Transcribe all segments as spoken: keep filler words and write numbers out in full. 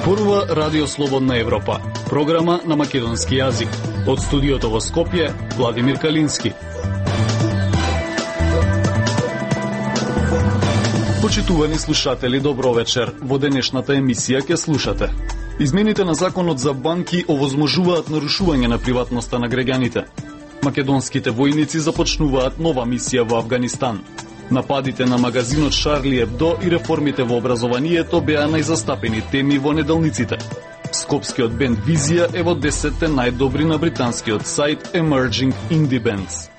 Зборува Радио Слободна Европа, програма на македонски јазик. Од студиото во Скопје, Владимир Калински. Почитувани слушатели, добро вечер. Во денешната емисија ќе слушате: измените на законот за банки овозможуваат нарушување на приватноста на граѓаните. Македонските војници започнуваат нова мисија во Авганистан. Нападите на магазинот Шарли Ебдо и реформите во образованието беа најзастапени теми во неделниците. Скопскиот бенд Визија е во десетте најдобри на британскиот сајт Emerging Indie Bands.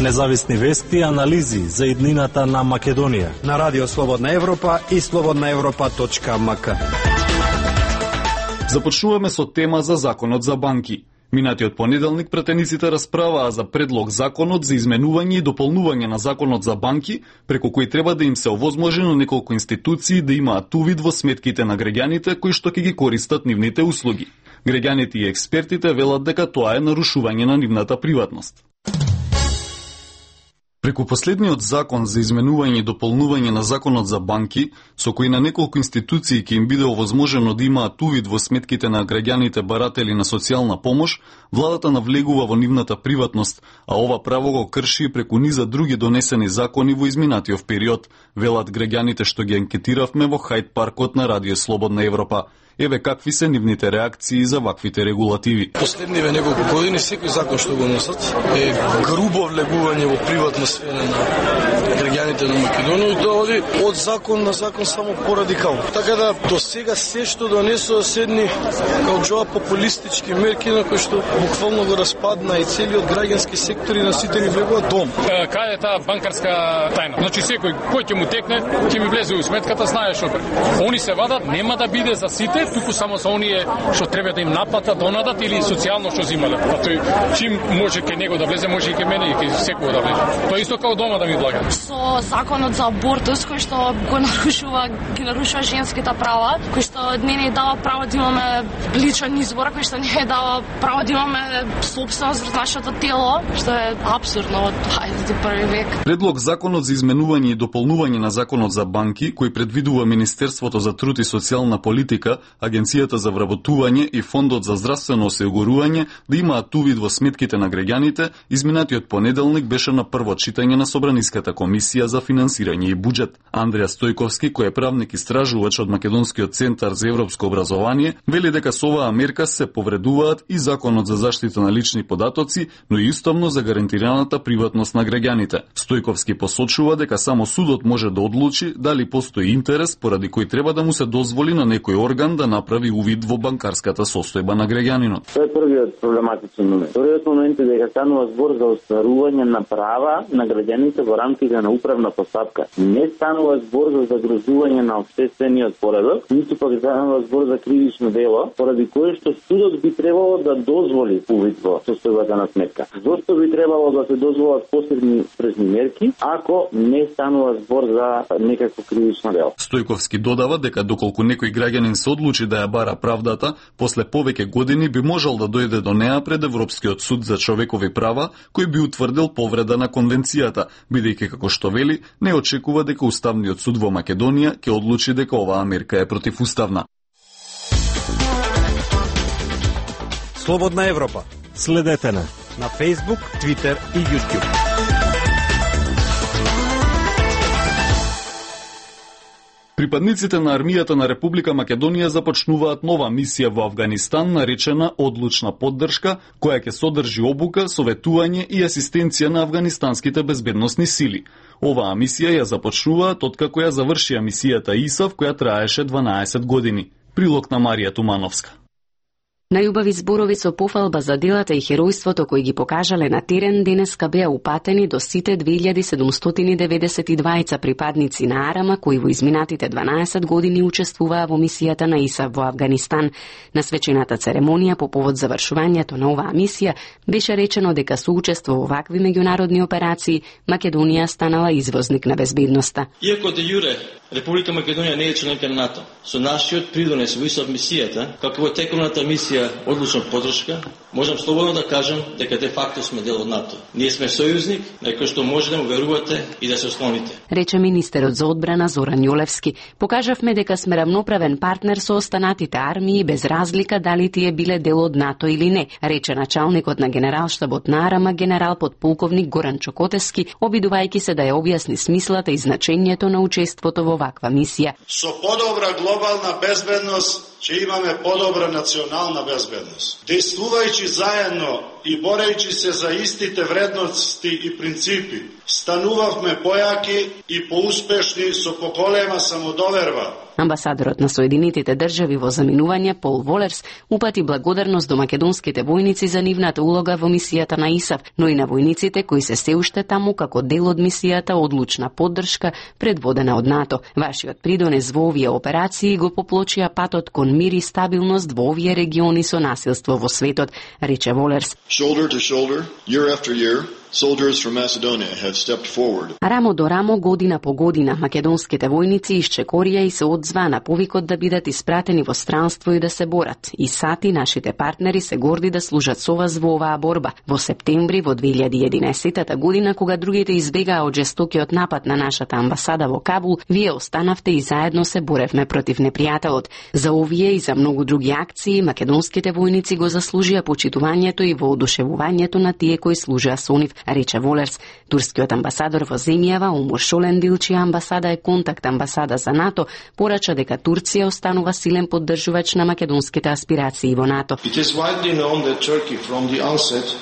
Независни вести и анализи за иднината на Македонија на Радио Слободна Европа и слободна европа точка ем ка. Започнуваме со тема за законот за банки. Минатиот понеделник пратениците расправаа за предлог законот за изменување и дополнување на законот за банки, преку кој треба да им се овозможи на неколку институции да имаат увид во сметките на граѓаните кои што ќе ги користат нивните услуги. Граѓаните и експертите велат дека тоа е нарушување на нивната приватност. Преку последниот закон за изменување и дополнување на законот за банки, со кој на неколку институции ќе им биде овозможено да имаат увид во сметките на граѓаните баратели на социјална помош, владата навлегува во нивната приватност, а ова право го крши и преку низа други донесени закони во изминатиот период, велат граѓаните што ги анкетиравме во Хајд паркот на Радио Слободна Европа. Еве какви се нивните реакции за ваквите регулативи. Последниве неколку години секој закон што го носат е грубо влегување во приватна сфера на граѓаните на Македонија и доади од закон на закон само порадикално. Така да до сега се што донесоа седни како џоа популистички мерки на кои што буквално го распадна и целиот граѓански сектор и на сите ни влегува дом. Каде е таа банкарска тајна? Значи секој кој ќе му текне, ќе ми влезе во сметката, знае што прави. Они се вадат, нема да биде за сите, туку само за оние што треба да им наплатат, донадат или социјално што зимале. А тој чим може ке него да влезе, може и ке мене и ке секој да влезе. Тоа исто како дома да ми влага. Со законот за абортус кој што го нарушува, ги нарушува женските права, кој што не ни дава право да имаме личен избор, кој што не ни дава право да имаме собственост врз нашето тело, што е апсурдно од дваесет и први век. Предлог законот за изменување и дополнување на законот за банки, кој предвидува Министерството за труд и социјална политика, Агенцијата за вработување и Фондот за здравствено осигурување да имаат увид во сметките на граѓаните, изминатиот понеделник беше на прво читање на Собраниската комисија за финансирање и буџет. Андреја Стојковски, кој е правник истражувач од Македонскиот центар за европско образование, вели дека со оваа мерка се повредуваат и законот за заштита на лични податоци, но и уставно за гарантираната приватност на граѓаните. Стојковски посочува дека само судот може да одлучи дали постои интерес поради кој треба да му се дозволи на некој орган да направи увид во банкарската состојба на граѓанинот. Тоа е првиот проблематичен момент. Вториот момент е дека станува збор за остварување на права на граѓаните во рамките на управна постапка. Не станува збор за загрозување на општествениот поредок, ниту пак станува збор за кривично дело, поради кое што судот би требало да дозволи увид во состојбата на сметка. Зошто би требало да се дозволат посебни спрешни мерки, ако не станува збор за некакво кривично дело? Стојковски додава дека доколку некој граѓанин се одлучи да ја бара правдата, после повеќе години би можел да дојде до неа пред Европскиот суд за човекови права, кој би утврдил повреда на конвенцијата, бидејќи како што вели, не очекува дека Уставниот суд во Македонија ќе одлучи дека оваа мерка е противуставна. Слободна Европа. Следете на на Facebook, Twitter и YouTube. Припадниците на армијата на Република Македонија започнуваат нова мисија во Авганистан наречена Одлучна поддршка, која ќе содржи обука, советување и асистенција на афганистанските безбедносни сили. Оваа мисија ја започнуваат откако ја завршија мисијата ИСАФ, која траеше дванаесет години. Прилог на Марија Тумановска. Најубави зборови со пофалба за делата и херојството кои ги покажале на терен денеска беа упатени до сите две илјади седумстотини деветдесет и дваица припадници на Арама кои во изминатите дванаесет години учествуваа во мисијата на ИСАФ во Авганистан. На свечената церемонија по повод завршувањето на оваа мисија беше речено дека со учество во вакви меѓународни операции Македонија станала извозник на безбедноста. Иако де јуре Република Македонија не е членка на НАТО. Со нашиот придонес во ИСАФ мисијата, како во теконата мисија одлучна поддршка, можам слободно да кажам дека де факто сме дел од НАТО. Ние сме сојузник на кој што може да му верувате и да се ослоните. Рече министерот за одбрана Зоран Јолевски. Покажавме дека сме рамноправен партнер со останатите армии без разлика дали тие биле дел од НАТО или не, рече началникот на генералштабот на Арама генерал подполковник Горан Чокотевски, обидувајќи се да ја објасни смислата и значењето на учеството во ваква мисија. Со подобра глобална безбедност ќе имаме подобра национална безбедност. Действувајќи заедно и борејќи се за истите вредности и принципи, станувавме појаки и поуспешни со поголема самодоверба. Амбасадорот на Соединетите држави во заминување Пол Волерс упати благодарност до македонските војници за нивната улога во мисијата на ИСАФ, но и на војниците кои се се уште таму како дел од мисијата одлучна поддршка предводена од НАТО. Вашиот придонес во овие операции го поплочија патот кон мир и стабилност во овие региони со насилство во светот, рече Волерс. Shoulder to shoulder, year after year, soldiers from Macedonia have stepped forward. Рамо до рамо, година по година, македонските војници исчекорија и се одзваа на повикот да бидат испратени во странство и да се борат. И сати нашите партнери се горди да служат со вас во оваа борба. Во септември во две илјади и единаесета година, кога другите избегаа од жестокиот напад на нашата амбасада во Кабул, вие останавте и заедно се боревме против непријателот. За овие и за многу други акции, македонските војници го заслужија почитувањето и воодушевувањето на тие кои служеа со нив, рече Волерс. Турскиот амбасадор во земјава Умур Шолендил, чија амбасада е контакт амбасада за НАТО, порача дека Турција останува силен поддржувач на македонските аспирации во НАТО.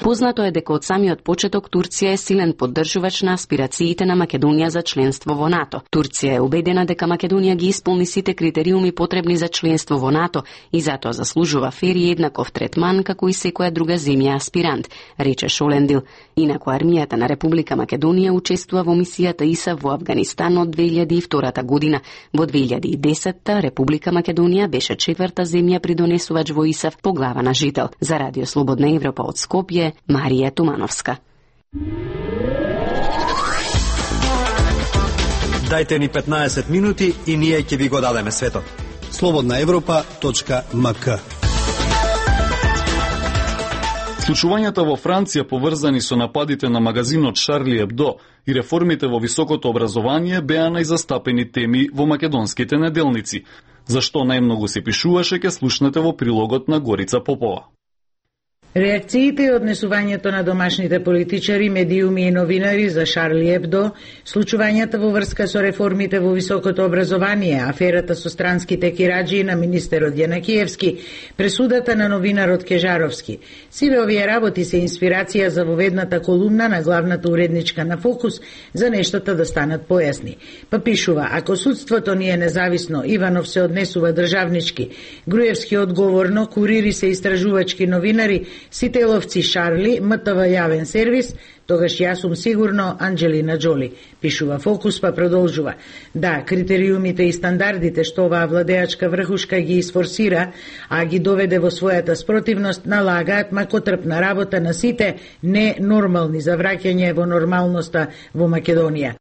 Познато е дека од самиот почеток Турција е силен поддржувач на аспирациите на Македонија за членство во НАТО. Турција е убедена дека Македонија ги исполни сите критериуми потребни за членство во НАТО и затоа заслужува фер и еднаков третман како и секоја друга земја аспирант, рече Шолендил. Инаку армијата на Република Македонија учествува во мисијата ИСАФ во Авганистан од две илјади и втора година. Во две илјади и десета Република Македонија беше четврта земја придонесувач во ИСАФ по глава на жител. За Радио Слободна Европа од Скопје, Марија Тумановска. Дајте ни петнаесет минути и ние ќе ви го дадеме светот. слободна европа точка ем ка. Случувањата во Франција поврзани со нападите на магазинот Шарли Ебдо и реформите во високото образование беа најзастапени теми во македонските неделници. Зашто најмногу се пишуваше, ке слушнете во прилогот на Горица Попова. Реакциите и однесувањето на домашните политичари, медиуми и новинари за Шарли Ебдо, случувањата во врска со реформите во високото образование, аферата со странските кираџи на министерот Јанакиевски, пресудата на новинарот Кежаровски. Сиве овие работи се инспирација за воведната колумна на главната уредничка на Фокус за нештата да станат појасни. Па пишува: ако судството ни е независно, Иванов се однесува државнички, Груевски одговорно, Курири се истражувачки новинари, Сителовци Шарли, МТВ јавен сервис, тогаш јас сум сигурно Анджелина Джоли. Пишува Фокус, па продолжува: да, критериумите и стандардите што оваа владеачка врхушка ги изфорсира, а ги доведе во својата спротивност, налагаат макотрпна работа на сите ненормални за враќање во нормалноста во Македонија.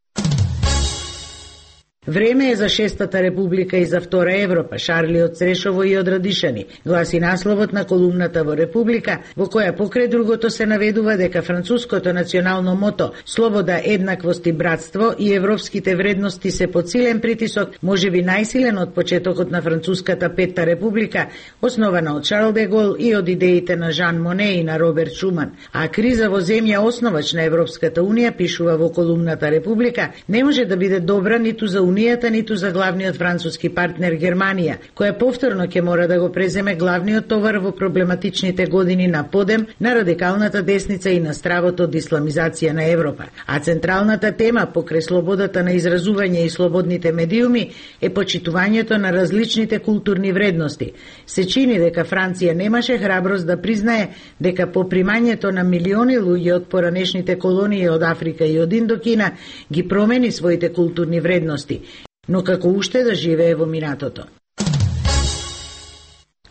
Време е за шестата република и за втора Европа, Шарли од Срешово и од Радишани, гласи насловот на колумната во Република, во која покрај другото се наведува дека француското национално мото слобода, еднаквост и братство и европските вредности се под силен притисок, можеби најсилен од почетокот на француската петта република, основана од Шарл де Гол и од идеите на Жан Моне и на Роберт Шуман. А криза во земја основач на Европската унија, пишува во колумната Република, не може да биде добра ниту за Унијата, ниту за главниот француски партнер Германија, која повторно ќе мора да го преземе главниот товар во проблематичните години на подем на радикалната десница и на стравот од исламизација на Европа. А централната тема покрај слободата на изразување и слободните медиуми е почитувањето на различните културни вредности. Се чини дека Франција немаше храброст да признае дека по примањето на милиони луѓе од поранешните колонии од Африка и од Индокина ги промени своите културни вредности, но како уште да живее во минатото.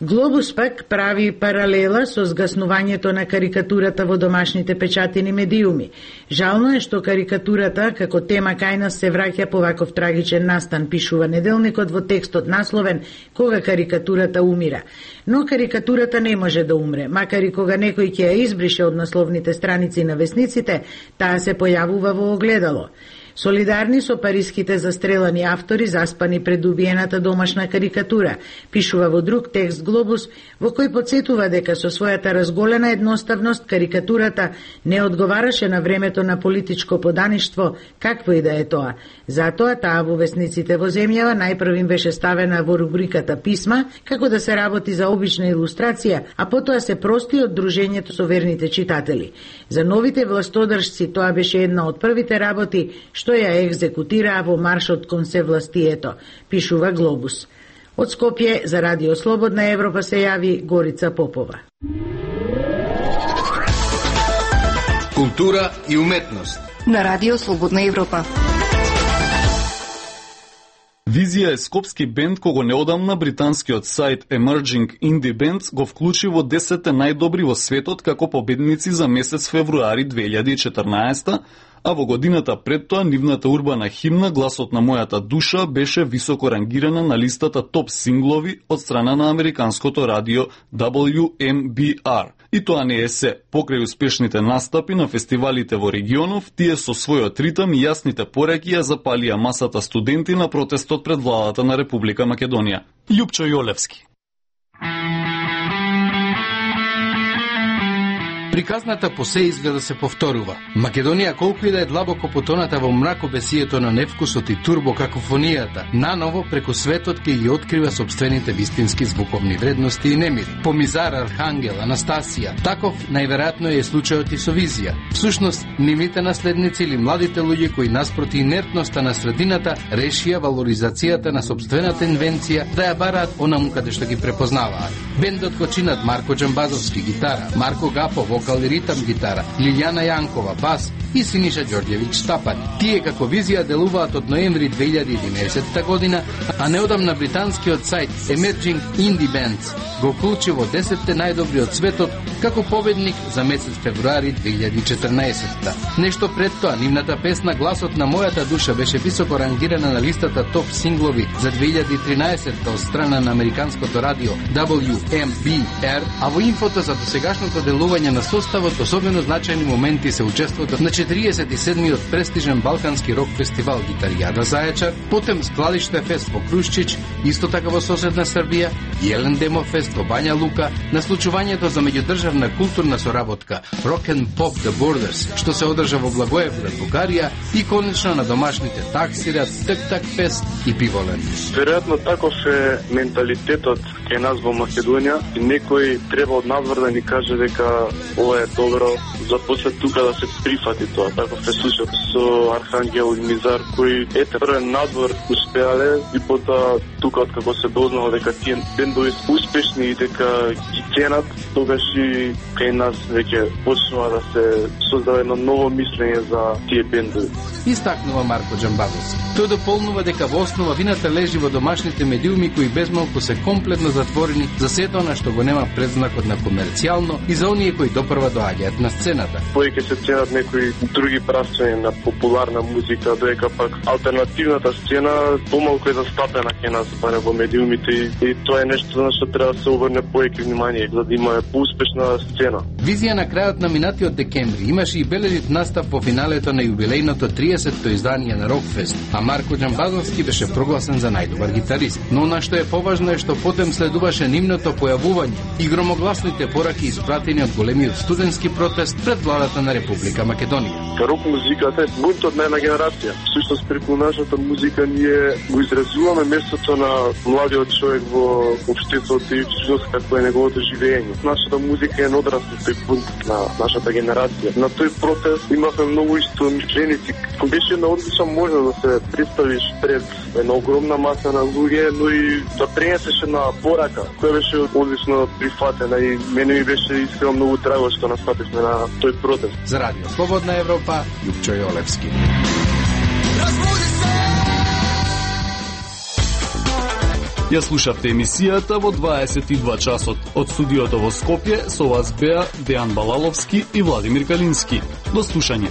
Глобус пак прави паралела со згаснувањето на карикатурата во домашните печатени медиуми. Жално е што карикатурата како тема кај нас се враќа по ваков трагичен настан, пишува Неделникот во текстот насловен "Кога карикатурата умира". Но карикатурата не може да умре, макар и кога некој ќе ја избрише од насловните страници на весниците, таа се појавува во огледало. Солидарни со париските застрелани автори заспани пред убиената домашна карикатура, пишува во друг текст Глобус, во кој подсетува дека со својата разголена едноставност карикатурата не одговараше на времето на политичко подаништво, какво и да е тоа. Затоа таа во весниците во земјава најпрв им беше ставена во рубриката писма, како да се работи за обична илустрација, а потоа се прости од дружењето со верните читатели. За новите властодржци тоа беше една од првите работи што ја екзекутираа во маршот кон севластието, пишува Глобус. Од Скопје за Радио Слободна Европа се јави Горица Попова. Култура и уметност на Радио Слободна Европа. Визија е скопски бенд кого неодамна британскиот сајт Emerging Indie Bands го вклучи во десетте најдобри во светот како победници за месец февруари две илјади и четрнаесета, а во годината пред тоа нивната урбана химна "Гласот на мојата душа" беше високо рангирана на листата топ синглови од страна на американското радио W M B R. И тоа не е се. Покрај успешните настапи на фестивалите во регионов, тие со својот ритам и јасните пореки ја запалија масата студенти на протестот пред владата на Република Македонија. Љупчо Јолевски. Приказната по се изгледа се повторува. Македонија, колку и да е длабоко потоната во мракобесието на невкусот и турбокакофонијата, наново преку светот ќе ги открива собствените вистински звуковни вредности и немири. Помизар, Архангел, Анастасија, таков најверојатно е случајот и со Визија. Всушност, нивните наследници или младите луѓе кои наспроти инертноста на средината решија валоризацијата на собствената инвенција да ја бараат онаму каде што ги препознаваат. Бендот го чинат Марко Џамбазовски гитара, Марко Гапо вокал и ритам гитара, Лилјана Јанкова бас и Синиша Ѓорѓевиќ Стапани. Тие како Визија делуваат од ноември две илјади и единаесетта година, а неодамна британскиот сајт Emerging Indie Bands го вклучи во десетте најдобри од светот како победник за месец февруари две илјади и четрнаесетта. Нешто пред тоа, нивната песна "Гласот на мојата душа" беше високо рангирана на листата топ синглови за две илјади и тринаесетта од страна на американското радио W M B R, а во инфото за досегашното делување на составот особено значајни моменти се учеството на четириесет и седмиот престижен балкански рок фестивал Гитаријада Зајачар, потем Складиште фест во Крушчич, исто така во соседна Србија, и Елен Демо фест во Бања Лука, на случувањето за меѓудржавна културна соработка Rock and Pop the Borders, што се одржа во Благоевград, Бугарија, и конечно на домашните Таксират, Тек-Так фест и Пиволен. Веројатно таков е менталитетот кај нас во Македонија и некој треба од надвор да ни каже дека ова е добро, за после тука да се прифати тоа. Таков е случајот со Архангел и Мизар, кои ете првен надвор успеале и потоа тука откако се дознало дека тие бендови се успешни и дека ги ценат, тогаш и кај нас веќе почнува да се создава едно ново мислење за тие бендови. Истакнува Марко Џамбазовски. Тој дополнува дека во основа вината лежи во домашните медиуми кои безмалку се комплетно затворени за сето она што го нема предзнакот на комерцијално и за оние кои допрва доаѓаат на сцената. Повеќе се ценат некои други правци на популарна музика, додека пак алтернативната сцена помалку е застапена кај нас барем во медиумите и, и тоа е нешто на што треба да се обрне повеќе внимание за да има поуспешна сцена. Визија на крајот на минатиот декември имаше и бележит настап во финалето на јубилејното триесетто издание на Рокфест, а Марко Џамбазовски беше прогласен за најдобар гитарист. Но она што е поважно е што потем следуваше нивното појавување и громогласните пораки испратени од големиот студентски протест пред владата на Република Македонија. Рок музиката е бунтот на една генерација. Всушност преку нашата музика ние го изразуваме местото на младиот човек во општеството и всушност какво е неговото живење. Нашата музика е одраз на тој бунт на нашата генерација. На тој протест имавме многу истомишленици. Беше на одлична можност да се представиш пред една огромна маса на луѓе, но и да пренесеш на порака, која беше одлично прифатена и мене ми беше искрено многу драго што настапивме на тој протест. За Радио Слободна Европа, Љупчо Јолевски. Ја слушавте емисијата во дваесет и два часот. Од студиото во Скопје со вас беа Дејан Балаловски и Владимир Калински. До слушање.